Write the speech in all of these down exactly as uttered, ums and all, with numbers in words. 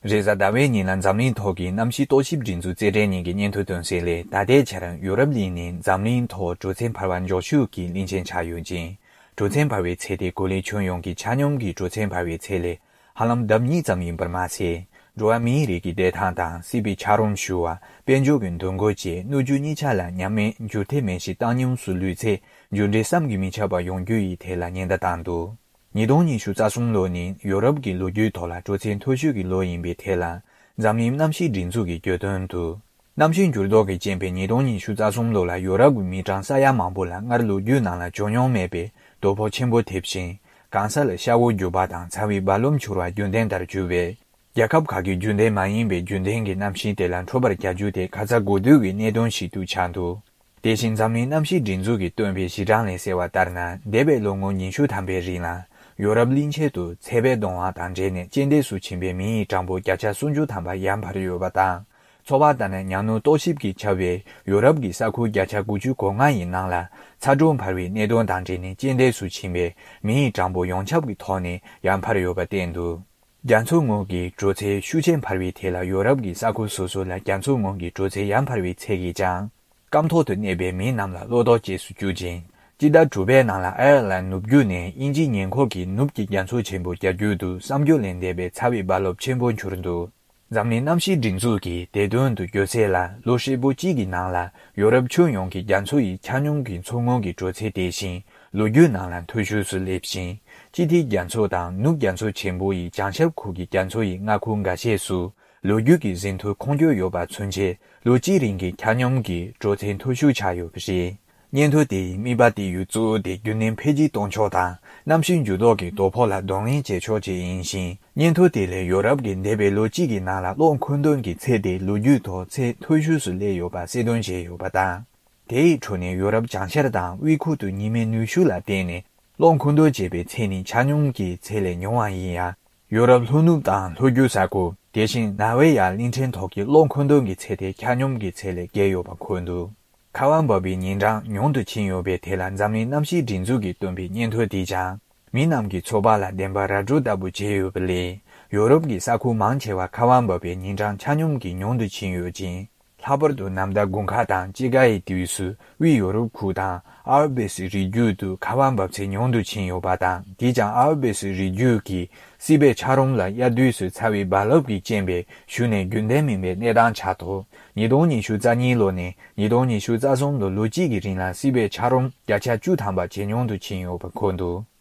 རེས་གཟའ་ཟླ་བའི་ཉིན་ལ་འཛམ་གླིང་ཐོག་གི་གནམ་གཤིས་རྟོག་ཞིབ་སྒྲིག་འཛུགས་རྩེད་འགྲན་གཉིས་ཀྱི་སྙན་ཐོ་བཏོན་གསལ་ལས། ད་ལྟའི་ཆར་ཡོ་རོབ་གླིང་ནི་འཛམ་གླིང་ཐོག་དྲོད་ཚད་འཕར་བ་མགྱོགས་ཤོས་ཀྱི་གླིང་ཆེན་ཆགས་ཡོད་ཅིང་། དྲོད་ཚད་འཕར་བའི་ཚད་དེ་གོ་ལའི་ཁྱོན་ཡོངས་ཀྱི་ཆ་སྙོམས་ཀྱི་དྲོད་ཚད་འཕར་བའི་ཚད་ལས་ཧ་ལམ་ལྡབ་གཉིས་ཙམ་ཡིན་པར་མ་ཟད། འགྲོ་བ་མིའི་རིགས་ཀྱི་བདེ་ཐང་དང་སྲིད་པའི་འཁྱགས་རོམ་ཞུ་བ། དཔལ་འབྱོར་གྱི་འདུ་འགོད་བཅས་སྣོད་བཅུད་གཉིས་ཆ་ལ་ཉམས་དམས་འགྱུར་ཐེབས་མེད་ཞིང་བཏང་སྙོམས་སུ་ལུས་ཚད་འགྱུར་འགྲོས་བསམ་གྱིས་མི་ཁྱབ་པ་ཡོང་རྒྱུ་ཡི་ཐད་ལ་ཉེན་བརྡ་བཏང་འདུག། ཉིས་སྟོང་ཉི་ཤུ་རྩ་གསུམ་ལོ་ནི་ཡོ་རོབ་ཀྱི་ལོ་རྒྱུས་ཐོག་ལ་དྲོད་ཚད་མཐོ་ཤོས་ཀྱི་ལོ་ཡིན་པའི་ཐད་ལ། འཛམ་གླིང་གནམ་གཤིས་སྒྲིག་འཛུགས་ཀྱིས་བརྗོད་དོན་དུ། གནམ་གཤིས་འགྱུར་ལྡོག་གི་རྐྱེན་པས་ཉིས་སྟོང་ཉི་ཤུ་རྩ་གསུམ་ལོ་ལ་ཡོ་རོབ་ཀྱི་མི་གྲངས་ས་ཡ་མང་པོ་ལ་སྔར་ལོ་རྒྱུས་ནང་ལ་བྱུང་མྱོང་མེད་པའི་དོ་ཕོག་ཆེན་པོ་ཐེབས་ཤིང་། གང་ས་ལ་ཤ་བོ་རྒྱུག་པ་དང་ཚ་བའི་རྦ་རླབས་འཕྱུར་བ་རྒྱུན་ལྡན་ལྟར་གྱུར་བས། རྒྱལ་ཁབ་ཁག་གིས་རྒྱུན་ལྡན་མ་ཡིན་པའི་རྒྱུན་ལྡན་གྱི་གནམ་གཤིས་དེ་ལ་འཕྲོད་པར་བྱ་རྒྱུ་དེ་ཁ་ཚ་དགོས་གཏུགས་ཀྱི་གནད་དོན་ཞིག་ཏུ་ཆགས་འདུག། དེ་བཞིན་འཛམ་གླིང་གནམ་གཤིས་སྒྲིག་འཛུགས་ཀྱིས་བཏོན་པའི་གཞི་གྲངས་ལས་གསལ་བ་ལྟར་ན། འདས་པའི་ལོ་ངོ་ཉི་ཤུ་ཐམ་པའི་རིང་ལ། ཡོ་རོབ་གླིང་ཆེན་དུ་ཚད་པས་གདུང་བ་དང་འབྲེལ་ནས་རྐྱེན་འདས་སུ་ཕྱིན་པའི་མི་ཡི་གྲངས་འབོར་བརྒྱ་ཆ་སུམ་ཅུ་ཐམ་པ་ཡར་འཕར་ཡོད་པ་དང་། ཚོད་དཔག་ལྟར་ན། ཉ་སྣུར་རྟོག་ཞིབ་ཀྱིས་ཁྱབ་པའི་ཡོ་རོབ་ཀྱི་ས་ཁུལ་བརྒྱ་ཆ་དགུ་ཅུ་གོ་ལྔ་ཡི་ནང་ལ། ཚ་དྲོད་འཕར་བའི་གནད་དོན་དང་འབྲེལ་ནས་རྐྱེན་འདས་སུ་ཕྱིན་པའི་མི་ཡི་གྲངས་འབོར་ཡོངས་ཁྱབ་ཀྱི་ཐོག་ནས་ཡར་འཕར་ཡོད་པ་བསྟན་འདུག། རྒྱ་མཚོ་ངོས་ཀྱི་དྲོད་ཚད་ཤུགས་ཆེན་འཕར་བའི་ཐད་ལ། ཡོ་རོབ་ཀྱི་ས་ཁུལ་སོ་སོ་ལ་རྒྱ་མཚོ་ངོས་ཀྱི་དྲོད་ཚད་ཡར་འཕར་བའི་ཚད་ཀྱིས་ཀྱང་སྐམ་ཐོག་ཏུ་གནས་པའི་མི་རྣམས་ལ་བློ་དོགས་སྐྱེས་སུ་བཅུག་ཅིང་། སྤྱི་ཟླ་དྲུག་པའི་ནང་ལ་ཨའེ་ཡར་ལན་ནུབ་རྒྱུད་ནས་དབྱིན་ཇིའི་ཉེ་འཁོར་གྱི་ནུབ་ཀྱི་རྒྱ་མཚོ་ཆེན་པོ་རྒྱ་རྒྱུད་དུ་བསམ་རྒྱུ་ལས་འདས་པའི་ཚ་བའི་རྦ་རླབས་ཆེན་པོ་འཕྱུར་འདུག། འཛམ་གླིང་གནམ་གཤིས་སྒྲིག་འཛུགས་ཀྱིས་དེ་དོན་དུ་བརྗོད་གསལ་ལ། ལོ་ཧྲིལ་པོ་གཅིག་གི་ནང་ལ་ཡོ་རོབ་ཁྱོན་ཡོངས་ཀྱི་རྒྱ་མཚོ་ཡི་ཆ་སྙོམས་ཀྱི་མཚོ་ངོས་ཀྱི་དྲོད་ཚད་དེ་བཞིན་ལོ་རྒྱུས་ནང་ལ་མཐོ་ཤོས་སུ་སླེབས་ཤིང་། སྤྱི་ཐིག་རྒྱ་མཚོ་དང་ནུབ་རྒྱ་མཚོ་ཆེན་པོ་ཡི་བྱང་ཤར་ཁུལ་གྱི་རྒྱ་མཚོ་ཡི་མངའ་ཁུལ་འགའ་ཤས་སུ་ལོ་རྒྱུས་ཀྱི་ཟིན་ཐོའི་ཁུངས་སྐྱེལ་ཡོད་པ་ཚུན་ཆད་ལོ་གཅིག་རིང་གི་ཆ་སྙོམས་ཀྱི་དྲོད་ཚད་མཐོ་ཤོས་ཆགས་ཡོད་པ་རེད། སྙན་ཐོ་དེ་ཡི་དམིགས་པ་དེ་ཡི་གཙོ་བོ་དེ་རྒྱུན་གནས་འཕེལ་རྒྱས་གཏོང་ཕྱོགས་དང་གནམ་གཤིས་འགྱུར་ལྡོག་གི་དོ་ཕོག་ལ་གདོང་ལེན་བྱེད་ཕྱོགས་བཅས་ཡིན་ཞིང་། སྙན་ཐོ་དེ་ལས་ཡོ་རོབ་ཀྱི་འདས་པའི་ལོ་གཅིག་གི་ནང་ལ་གློག་མཁོ་འདོན་གྱི་ཚད་དེ་ལོ་རྒྱུས་ཐོག་ཚད་མཐོ་ཤོས་སུ་སླེབས་ཡོད་པ་གསལ་སྟོན་བྱས་ཡོད་པ་དང་། དེ་ཡི་ཁྲོད་ནས་ཡོ་རོབ་བྱང་ཤར་དང་དབུས་ཁུལ་དུ་ཉི་མའི་ནུས་ཤུགས་ལ་བརྟེན་ནས་གློག་མཁོ་འདོན་བྱེད་པའི་ཚད་ནི་ཆ་སྙོམས་ཀྱི་ཚད་ལས་ཉུང་བ་ཡིན་ཡང་། ཡོ་རོབ་ལྷོ་ནུབ་དང་ལྷོ་རྒྱུད་ས་ཁུལ། དེ་བཞིན་ནར་ཝེ་ཡ་གླིང་ཕྲན་ཐོག་གི་གློག་མཁོ་འདོན་གྱི་ཚད་དེ་ཆ་སྙོམས་ཀྱི་ཚད་ལས་བརྒལ་ཡོད་པ་འཁོད་འདུག། ཁ་བ་འབབ་པའི་ཉིན་གྲངས་ཉུང་དུ་ཕྱིན་ཡོད་པའི་ཐད་ལ་འཛམ་གླིང་གནམ་གཤིས་སྒྲིག་འཛུགས་ཀྱིས་བཏོན་པའི་སྙན་ཐོ་དེས་ཀྱང་། མི་རྣམས་ཀྱི་ཚོར་བ་ལ་བདེན་པ་ར་སྤྲོད་ལྟ་བུ་བྱས་ཡོད་པ་ལས། ཡོ་རོབ་ཀྱི་ས་ཁུལ་མང་ཆེ་བ་ཁ་བ་འབབ་པའི་ཉིན་གྲངས་ཆ་སྙོམས་ཀྱིས་ཉུང་དུ་ཕྱིན་ཡོད་ཅིང་། ལྷག་པར་དུ་ནམ་ཟླ་དགུན་ཁ་དང་དཔྱིད་ཀ་ཡི་དུས་སུ་དབུས་ཡོ་རོབ་ཁུལ་དང་ཨལ་པེ་སི་རི་རྒྱུད་དུ་ཁ་བ་འབབ་ཚད་ཉུང་དུ་ཕྱིན་ཡོད་པ་དང་། དེས་ཀྱང་ཨལ་པེ་སི་རི་རྒྱུད་ཀྱི་སྲིད་པའི་འཁྱགས་རོམ་ལ་དབྱར་དུས་སུ་ཚ་བའི་རྦ་རླབས་ཀྱི་རྐྱེན་པས་ཞུ་ནས་རྒྱུན་ལྡན་མིན་པའི་གནས་སྟངས་ཆགས་ཐོག། ཉིས་སྟོང་ཉི་ཤུ་རྩ་གཉིས་ལོ་ནས་ཉིས་སྟོང་ཉི་ཤུ་རྩ་གསུམ་ལོ་ལོ་གཅིག་གི་རིང་ལ་སྲིད་པའི་འཁྱགས་རོམ་བརྒྱ་ཆ་བཅུ་ཐམ་པ་ཇེ་ཉུང་དུ་ཕྱིན་ཡོད་པ་འཁོད་འདུག།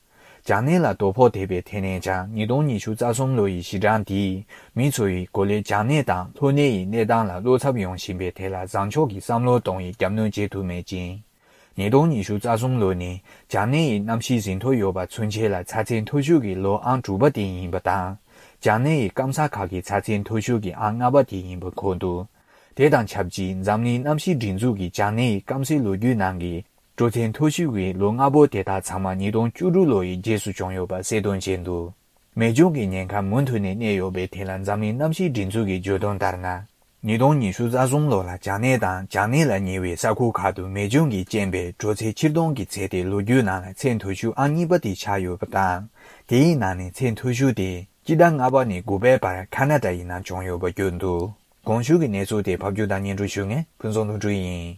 བྱང་སྣེ་ལ་དོ་ཕོག་ཐེབས་པའི་ཐད་ནས་ཀྱང་ཉིས་སྟོང་ཉི་ཤུ་རྩ་གསུམ་ལོ་ཡི་གཞི་གྲངས་དེས་མི་ཚོ་ཡི་གོ་ལའི་བྱང་སྣེ་དང་ལྷོ་སྣེ་ཡི་གནས་སྟངས་ལ་བློ་འཚབ་ཡོང་བཞིན་པའི་ཐད་ལ་བཟང་ཕྱོགས་ཀྱི་བསམ་བློ་གཏོང་བའི་རྒྱབ་གནོན་བྱེད་ཐུབ་མེད་ཅིང་། ཉིས་སྟོང་ཉི་ཤུ་རྩ་གསུམ་ལོ་ནི་བྱང་སྣེ་ཡི་གནམ་གཤིས་ཟིན་ཐོ་ཡོད་པ་ཚུན་ཆད་ལ་ཚ་ཚད་མཐོ་ཤོས་ཀྱི་ལོ་ཨང་དྲུག་པ་དེ་ཡིན་པ་དང་། བྱང་སྣེ་ཡི་སྐམ་ས་ཁག་གི་ཚ་ཚད་མཐོ་ཤོས་ཀྱི་ཨང་ལྔ་པ་དེ་ཡིན་པ་འཁོད་འདུག། དེ་དང་ཆབས་ཅིག་འཛམ་གླིང་གནམ་གཤིས་སྒྲིག་འཛུགས་ཀྱི་བྱང་སྣེ་ཡི་སྐམ་སའི་ལོ་རྒྱུས་ནང་གི་དྲོད་ཚད་མཐོ་ཤོས་ཀྱི་ལོ་ལྔ་པོ་དེ་དག་ཚང་མ་ཉིས་སྟོང་བཅུ་དྲུག་ལོ་ཡི་རྗེས་སུ་བྱུང་ཡོད་པ་གསལ་སྟོན་བྱས་འདུག། མེ་སྐྱོན་གྱི་ཉེན་ཁ་མུ་མཐུད་ནས་གནས་ཡོད་པའི་ཐད་ལ་འཛམ་གླིང་གནམ་གཤིས་སྒྲིག་འཛུགས་ཀྱིས་བརྗོད་དོན་ལྟར་ན། ཉིས་སྟོང་ཉི་ཤུ་རྩ་གསུམ་ལོ་ལ་བྱང་སྣེ་དང་བྱང་སྣེ་ལ་ཉེ་བའི་ས་ཁུལ་ཁག་ཏུ་མེ་སྐྱོན་གྱི་རྐྱེན་པས་དྲོད་ཚད་ཕྱིར་གཏོང་གི་ཚད་དེ་ལོ་རྒྱུས་ནང་ལ་ཚད་མཐོ་ཤོས་ཨང་གཉིས་པ་དེ་ཆགས་ཡོད་པ་དང་། དེའི་ནང་ནས་ཚད་མཐོ་ཤོས་དེ་སྤྱི་ཟླ་ལྔ་པ་ནས་དགུ་པའི་བར་ཁ་ན་ཌ་ཡི་ནང་བྱུང་ཡོད་པ་བརྗོད་འདུག། གོང་ཞུས་ཀྱི་གནས་ཚུལ་དེ་ཕབ་སྒྱུར་དང་སྙན་སྒྲོན་ཞུ་མཁན་ཕུན་ཚོགས་ལྷུན་གྲུབ་ཡིན།